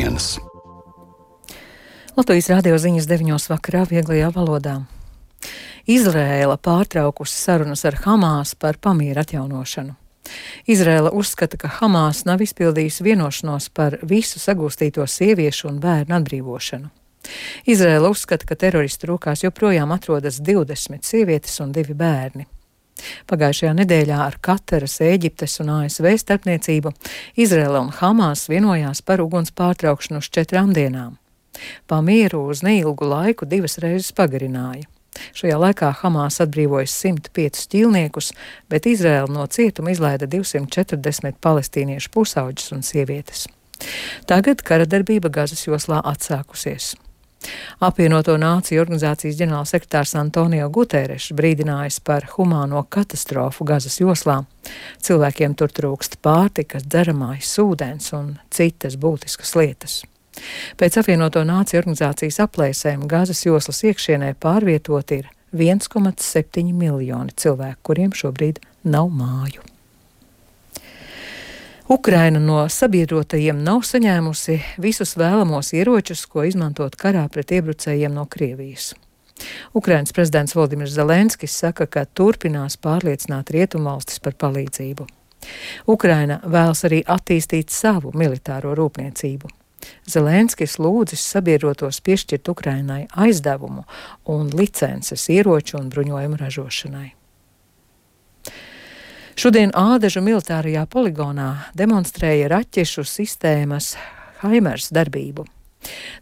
dienas. Latvijas radio ziņas 9 vakarā vieglajā valodā. Izraēla pārtraukusi sarunas ar Hamās par pamiera atjaunošanu. Izraēla uzskata, ka Hamās nav izpildījusi vienošanos par visu sagūstīto sieviešu un bērnu atbrīvošanu. Izraēla uzskata, ka teroristu rokās joprojām atrodas 20 sievietes un 2 bērni. Pagājušajā nedēļā ar Kataras, Ēģiptes un ASV starpniecību Izraēla un Hamās vienojās par uguns pārtraukšanu uz 4 dienām. Pamieru uz neilgu laiku 2 reizes pagarināja. Šajā laikā Hamās atbrīvoja 105 ķīlniekus, bet Izraēla no cietuma izlaida 240 palestīniešu pusauģus un sievietes. Tagad kara darbība Gazas joslā atsākusies. Apvienoto Nāciju organizācijas ģenerālsekretārs Antonio Guterres brīdinājis par humāno katastrofu Gazas joslā. Cilvēkiem tur trūkst pārtikas, dzeramais ūdens un citas būtiskas lietas. Pēc Apvienoto Nāciju organizācijas aplēsēm Gazas joslas iekšienē pārvietot ir 1,7 miljoni cilvēku, kuriem šobrīd nav māju. Ukraina no sabiedrotajiem nav saņēmusi visus vēlamos ieročus, ko izmantot karā pret iebrucējiem no Krievijas. Ukrainas prezidents Volodimirs Zelenskis saka, ka turpinās pārliecināt rietumvalstis par palīdzību. Ukraina vēlas arī attīstīt savu militāro rūpniecību. Zelenskis lūdzis sabiedrotos piešķirt Ukrainai aizdevumu un licences ieroču un bruņojumu ražošanai. Šodien Ādažu militārajā poligonā demonstrēja raķešu sistēmas HIMARS darbību.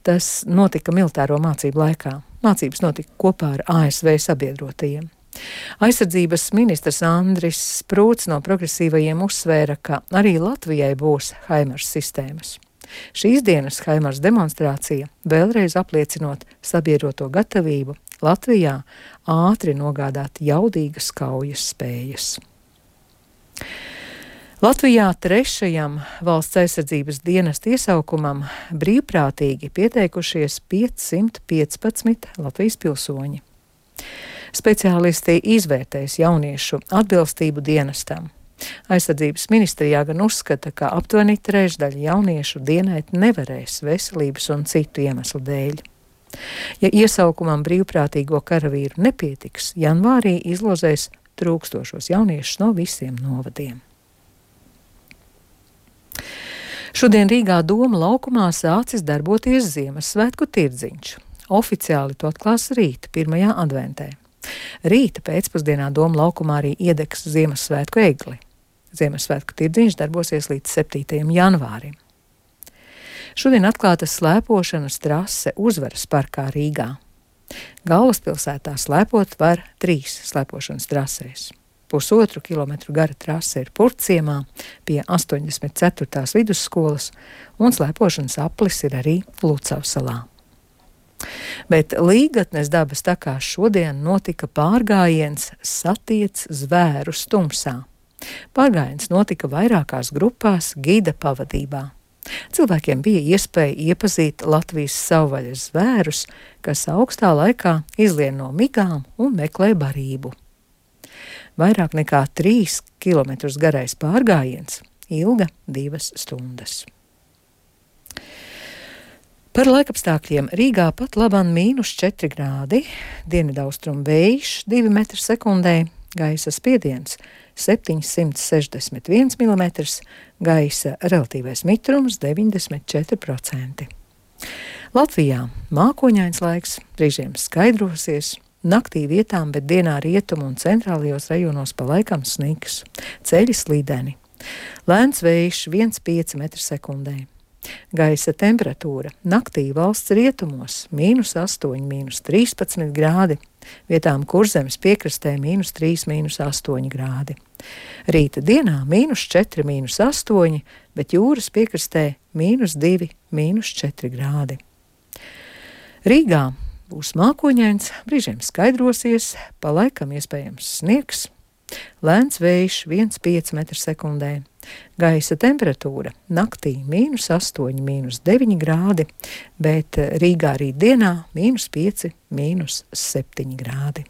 Tas notika militāro mācību laikā. Mācības notika kopā ar ASV sabiedrotajiem. Aizsardzības ministrs Andris Sprūts no progresīvajiem uzsvēra, ka arī Latvijai būs HIMARS sistēmas. Šīs dienas HIMARS demonstrācija vēlreiz apliecinot sabiedroto gatavību Latvijā ātri nogādāt jaudīgas kaujas spējas. Latvijā 3. valsts aizsardzības dienesta iesaukumam brīvprātīgi pieteikušies 515 Latvijas pilsoņi. Speciālisti izvērtēs jauniešu atbilstību dienestam. Aizsardzības ministrijā gan uzskata, ka aptuveni 1/3 jauniešu dienēt nevarēs veselības un citu iemeslu dēļ. Ja iesaukumam brīvprātīgo karavīru nepietiks, janvārī izlozēs trūkstošos jauniešus no visiem novadiem. Šodien Rīgā Doma laukumā sācis darboties Ziemassvētku tirdziņš. Oficiāli to atklās rīt, 1. adventē. Rīta pēcpusdienā Doma laukumā arī iedegs Ziemassvētku egli. Ziemassvētku tirdziņš darbosies līdz 7. janvārim. Šodien atklāta slēpošanas trase Uzvaras parkā Rīgā. Galvaspilsētā slēpot var 3 slēpošanas trasēs. 1,5 kilometru gara trase ir Purciemā pie 84. vidusskolas, un slēpošanas aplis ir arī Lucavsalā. Bet Līgatnes dabas takā šodien notika pārgājiens Satiec zvērus tumsā. Pārgājiens notika vairākās grupās gida pavadībā. Cilvēkiem bija iespēja iepazīt Latvijas savvaļas zvērus, kas augstā laikā izlien no migām un meklē barību. Vairāk nekā 3 kilometrus garais pārgājiens ilga 2 stundas. Par laikapstākļiem Rīgā pat labam -4 grādi, dienvidaustrumu vējš 2 metri sekundē, gaisa spiediens 761 mm, gaisa relatīvais mitrums 94%. Latvijā mākoņains laiks, brīžiem skaidrosies, naktī vietām, bet dienā rietumu un centrālajos rajonos pa laikam sniks, ceļi slīdeni. Lēns vējš 1,5 metri sekundē. Gaisa temperatūra naktī valsts rietumos -8, -13 grādi, vietām Kurzemes piekrastē -3, -8 grādi. Rīta dienā -4, -8, bet jūras piekrastē -2, -4 grādi. Rīgā būs mākoņains, brīžiem skaidrosies, pa laikam iespējams sniegs. Lēns vējš 1,5 metri sekundē. Gaisa temperatūra naktī -8, -9 grādi, bet Rīgā rīt dienā -5, -7 grādi.